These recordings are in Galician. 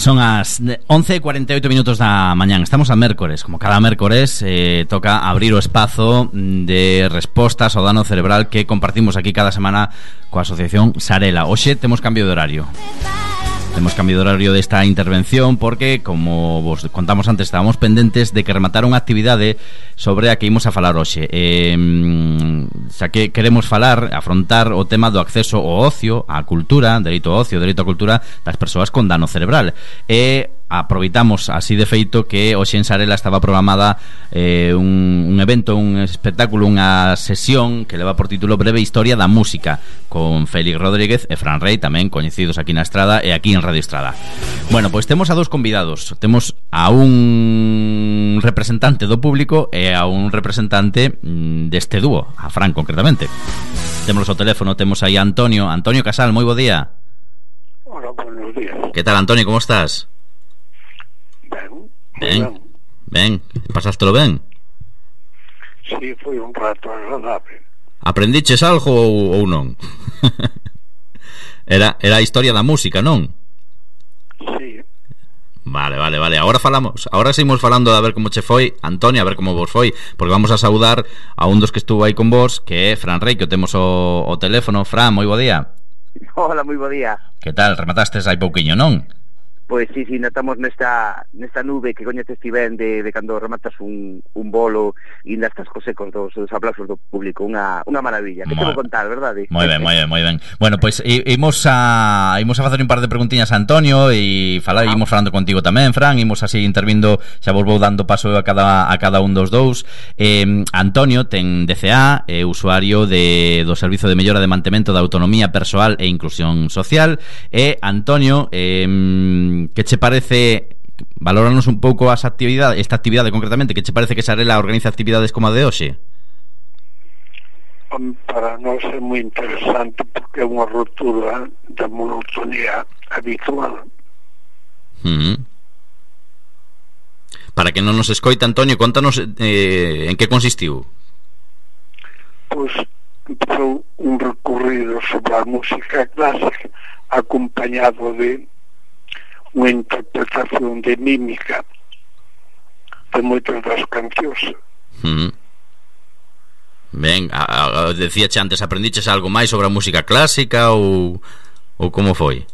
Son as 11:48 da mañán. Estamos a mércores. Como cada mércores toca abrir o espazo de respostas ao dano cerebral que compartimos aquí cada semana coa Asociación Sarela. Hoxe temos cambio de horario. Temos cambio de horario desta intervención porque, como vos contamos antes, estábamos pendentes de que rematara unha actividade sobre a que imos a falar hoxe. Xa que queremos afrontar o tema do acceso ao ocio, á cultura, dereito ao ocio, dereito á cultura das persoas con dano cerebral. Aproveitamos así de feito que hoxe en Sarela estaba programada un evento, un espectáculo, unha sesión que leva por título Breve Historia da Música, con Félix Rodríguez e Fran Rey, tamén coñecidos aquí na Estrada e aquí en Radio Estrada. Bueno, pois temos a dous convidados. Temos a un representante do público e a un representante deste dúo, a Fran concretamente. Temos ao teléfono, temos aí a Antonio Casal, moi bo día. Hola, buenos días. Que tal, Antonio, como estás? Ben, pasástelo ben? Sí, foi un rato agradable. Aprendiches algo ou non? Era a historia da música, non? Sí. Vale. Ahora seguimos falando de a ver como che foi, Antonio, a ver como vos foi, porque vamos a saudar a un dos que estuvo aí con vos, que é Fran Rey, que o temos o teléfono. Fran, moi bo día. Hola, moi bo día. Que tal? Rematastes aí pouquiño, non? Pois sí, notamos nesta nube que coñeces ti ben de cando rematas un bolo e ainda estás co seco dos aplausos do público, unha maravilla. Que te vou contar, verdade? Moi ben. Bueno, pois imos a facer un par de preguntiñas a Antonio e imos falando contigo tamén, Fran, imos así intervindo, xa vos vou dando paso a cada un dos dous. Antonio ten DCA, é usuario do Servizo de Mellora de Mantemento da Autonomía Persoal e Inclusión Social. Antonio, que che parece, valóranos un pouco esta actividade concretamente, que che parece que Sarela organiza actividades como a de hoxe? Para nós é moi interesante porque é unha ruptura da monotonía habitual. Para que non nos escoita, Antonio, contanos en que consistiu. Pois empezou un recorrido sobre a música clásica acompañado de unha interpretación de mímica de moitas das cancións. Ben, decíache antes, aprendiches algo máis sobre a música clásica ou como foi?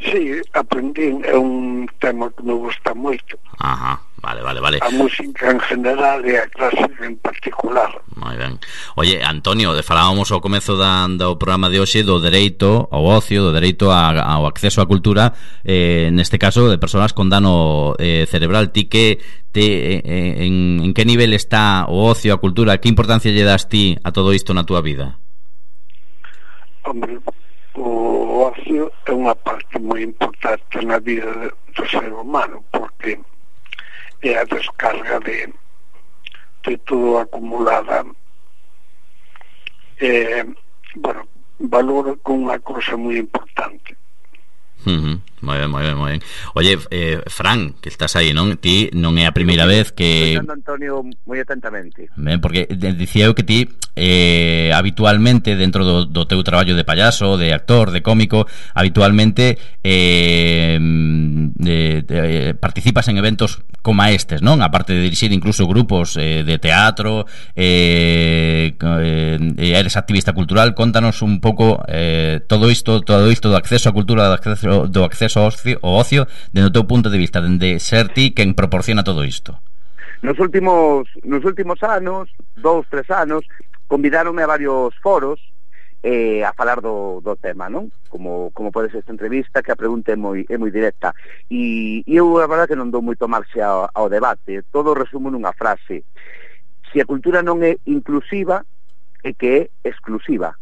Sí, aprendi, é un tema que me gusta moito. Ajá, vale. A música en general e a clásica en particular. Moi ben. Oye, Antonio, falábamos ao comezo do programa de hoxe do dereito ao ocio, do dereito ao acceso á cultura, neste caso de persoas con dano cerebral. Ti en que nivel está o ocio, a cultura? Que importancia lle das ti a todo isto na túa vida? Hombre, o ocio é unha parte moi importante na vida do ser humano porque é a descarga de todo acumulada. Valoro con unha cousa moi importante. Moi ben. Oye, Fran, que estás aí, non? Ti non é a primeira vez que... Estou Antonio moi atentamente. Ben, porque dicía eu que ti habitualmente dentro do teu traballo de payaso, de actor, de cómico, habitualmente participas en eventos como estes, non? Aparte de dirixir incluso grupos de teatro, eres activista cultural. Contanos un pouco todo isto do acceso á cultura, do acceso ao ocio, dende o teu punto de vista, dende ser ti quen proporciona todo isto. Nos últimos anos, 2-3 anos, convidáronme a varios foros a falar do tema, non? Como pode ser esta entrevista, que a pregunta é moi directa. E eu, a verdade, que non dou moito marxe ao debate. Todo resumo nunha frase: se a cultura non é inclusiva, é que é exclusiva.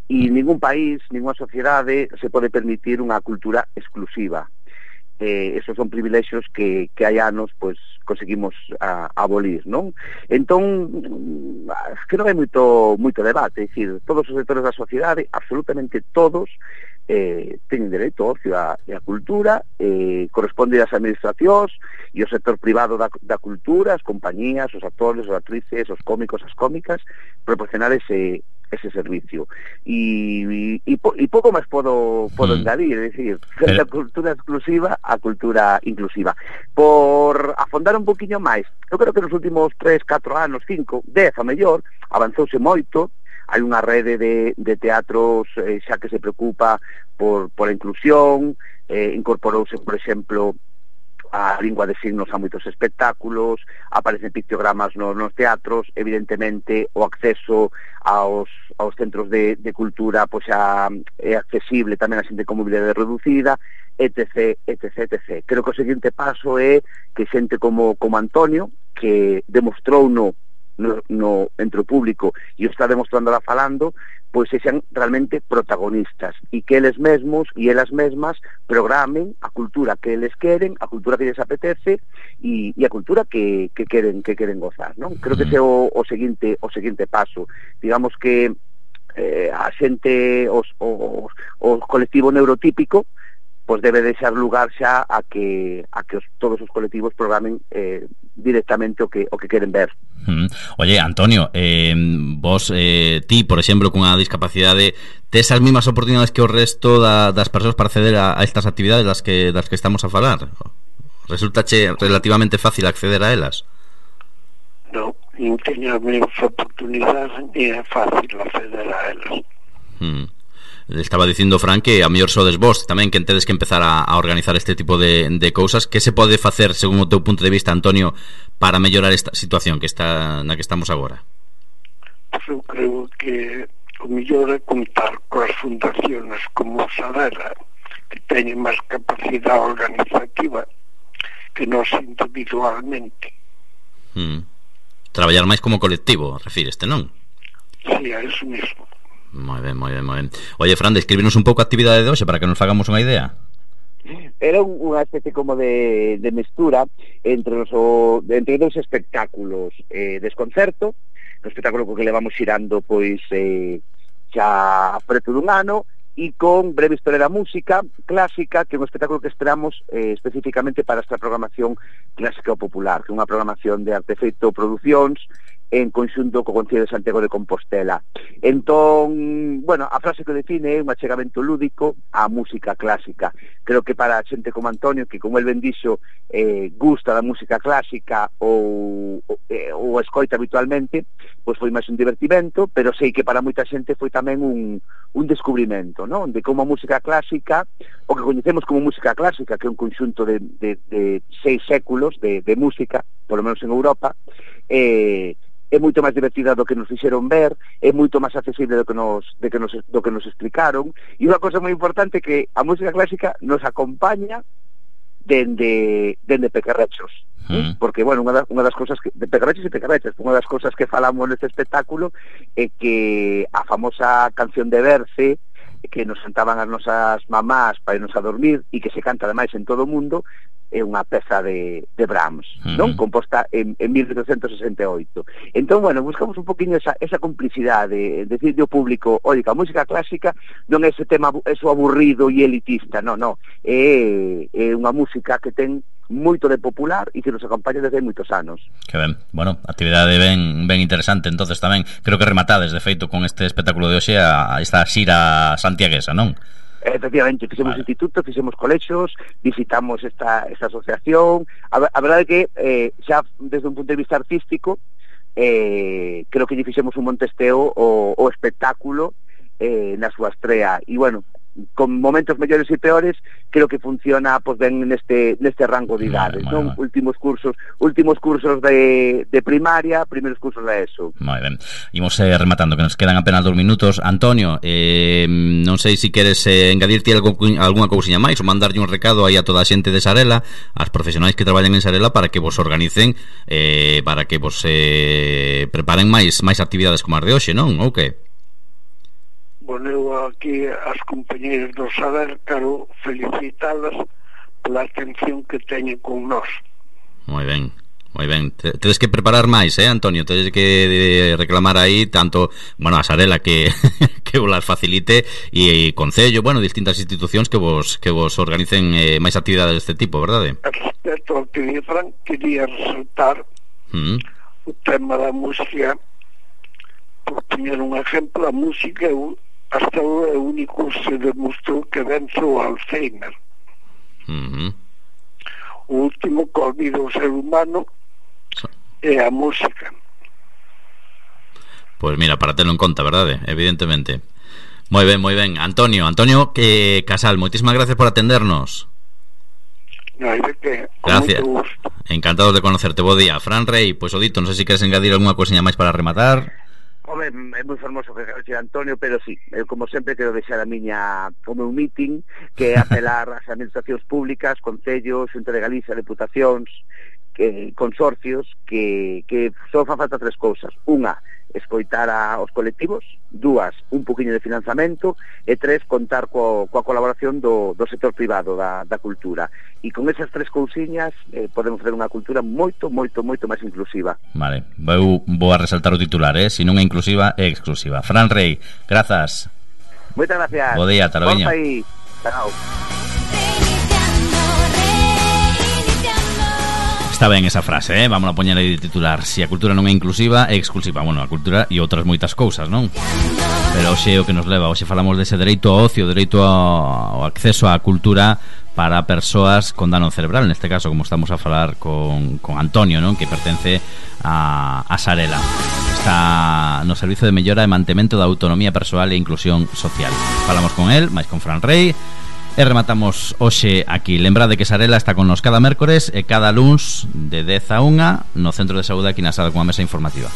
E ningún país, ninguna sociedade se pode permitir unha cultura exclusiva. Esos son privilexios que hai anos pois conseguimos abolir, non? Entón, que non hai moito debate, é dicir, todos os sectores da sociedade, absolutamente todos, teñen dereito ao ocio e a cultura, corresponde ás administracións e ao sector privado da cultura, as compañías, os actores, as actrices, os cómicos, as cómicas, proporcionar ese ese servicio. E pouco máis podo engadir, é dicir, da cultura exclusiva a cultura inclusiva. Por afondar un poquinho máis, eu creo que nos últimos 3, 4 anos, 5, 10 a mellor, avanzouse moito. Hai unha rede de teatros xa que se preocupa por a inclusión, incorporouse, por exemplo, a lingua de signos a moitos espectáculos, aparecen pictogramas nos teatros, evidentemente o acceso aos centros de cultura pois xa é accesible tamén a xente con mobilidade reducida, etc, etc, etc. Creo que o seguinte paso é que xente como Antonio, que demostrou no entre o público e o está demostrando lá falando, pois sexan realmente protagonistas e que eles mesmos e elas mesmas programen a cultura que eles queren, a cultura que lles apetece e a cultura que queren gozar, non? Creo que ese é o seguinte paso. Digamos que a xente, os colectivo neurotípico, pois debe deixar lugar xa a que todos os colectivos programen directamente o que queren ver. Oye, Antonio, vos, ti, por exemplo, cunha discapacidade, tes as mesmas oportunidades que o resto das persoas para acceder a estas actividades das que estamos a falar? Resultache relativamente fácil acceder a elas? Non, non teño as mesmas oportunidades e é fácil acceder a elas. Estaba dicindo Fran que a mellor sodes vos tamén que tedes que empezar a organizar este tipo de cousas. Que se pode facer, según o teu punto de vista, Antonio, para mellorar esta situación na que estamos agora? Pues eu creo que o mellor é contar coas fundaciones como Sadela, que teñen máis capacidade organizativa que nós individualmente. Traballar máis como colectivo, refíreste, non? Sí, a eso mismo. Moi ben. Oye, Fran, descríbenos un pouco a actividade de hoxe para que nos fagamos unha idea. Era unha especie como de mestura entre dous espectáculos, desconcerto, un espectáculo que levamos xirando pois xa preto dun ano, e con Breve Historia da Música Clásica, que é un espectáculo que esperamos especificamente para esta programación clásica ou popular, que é unha programación de Artefeito Producións en conxunto co Concello de Santiago de Compostela. Entón, bueno, a frase que define é un achegamento lúdico á música clásica. Creo que para xente como Antonio, que como el ben dixo, gusta da música clásica ou escoita habitualmente, pois foi máis un divertimento, pero sei que para moita xente foi tamén un descubrimento, non? De como a música clásica, o que coñecemos como música clásica, que é un conxunto de 6 séculos de música, polo menos en Europa, é moito máis divertida do que nos fixeron ver, é moito máis accesible do que nos explicaron, e unha cosa moi importante que a música clásica nos acompaña dende Pequerrechos, porque, bueno, unha das cosas que, de Pequerrechos e Pequerrechas, unha das cosas que falamos neste espectáculo é que a famosa canción de Berce, que nos cantaban as nosas mamás para irnos a dormir e que se canta ademais en todo o mundo, é unha peza de Brahms, non? Composta en 1868. Entón, bueno, buscamos un poquinho esa complicidade, decirle ao público, oi, que a música clásica non é ese tema, eso aburrido e elitista, non, é unha música que ten moito de popular e que nos acompaña desde moitos anos. Que ben, bueno, actividade ben interesante. Entonces tamén creo que rematades de feito con este espectáculo de hoxe a esta xira santiaguesa, non? Efectivamente, fixemos instituto, fixemos colexios, visitamos esta asociación. A verdade é que xa desde un punto de vista artístico creo que lle fixemos un montesteo o espectáculo na súa estrea, e bueno, con momentos mellores e peores, creo que funciona pois ben neste rango de idades, non? Últimos cursos de primaria, primeiros cursos de ESO. Moi ben. Imos rematando, que nos quedan apenas 2 minutos. Antonio, non sei se queres engadirte algunha cousiña máis ou mandarlle un recado aí a toda a xente de Sarela, as profesionais que traballan en Sarela, para que vos organicen, para que vos preparen máis actividades como as de hoxe, non? Ou que? Bueno, eu aquí as compañeras do Saber quero felicitalas pola atención que teñen con nós. Moi ben. Tedes que preparar máis, Antonio? Tedes que reclamar aí tanto, bueno, a Sarela que vos las facilite, e Concello, bueno, distintas institucións que vos organicen máis actividades deste tipo, verdade? Respecto ao que di Fran, quería resaltar o tema da música por poñer un exemplo, a música hasta o único se demostrou que vence o Alzheimer. O último que olvida o ser humano é a música. Pois mira, para telo en conta, verdade? Evidentemente. Moi ben. Antonio Casal, moitísimas gracias por atendernos. Non hai de que, con gracias. Moito gusto. Encantados de conocerte, bo día. Fran Rey, pois o dito, non sei se queres engadir algunha cousiña máis para rematar. Home, é moi fermoso que quero decir Antonio, pero sí, eu como sempre quero deixar o meu meeting, que é apelar ás administracións públicas, concellos, Xunta de Galicia, deputacións, consorcios, que só fan falta tres cousas. Unha, escoitar aos colectivos. Dúas, un poquinho de financiamento. E tres, contar coa colaboración do sector privado da cultura. E con esas tres cousiñas podemos fazer unha cultura moito máis inclusiva. Vale, vou a resaltar o titular, se non é inclusiva, é exclusiva. Fran Rey, grazas. Moitas gracias. Bo día, Taloviño. Chao. Está ben esa frase, vamos a poñer aí de titular. Si a cultura non é inclusiva, é exclusiva. Bueno, a cultura e outras moitas cousas, non? Pero hoxe é o que nos leva. Hoxe falamos dese dereito ao ocio, dereito ao acceso á cultura para persoas con dano cerebral. Neste caso, como estamos a falar con Antonio, non? Que pertence a Sarela. Está no Servizo de Mellora e Mantemento da Autonomía Persoal e Inclusión Social. Falamos con el, máis con Fran Rey. E rematamos hoxe aquí. Lembrade que Sarela está con nos cada mércores e cada luns de 10 a 1 no Centro de Saúde aquí na sala con a mesa informativa.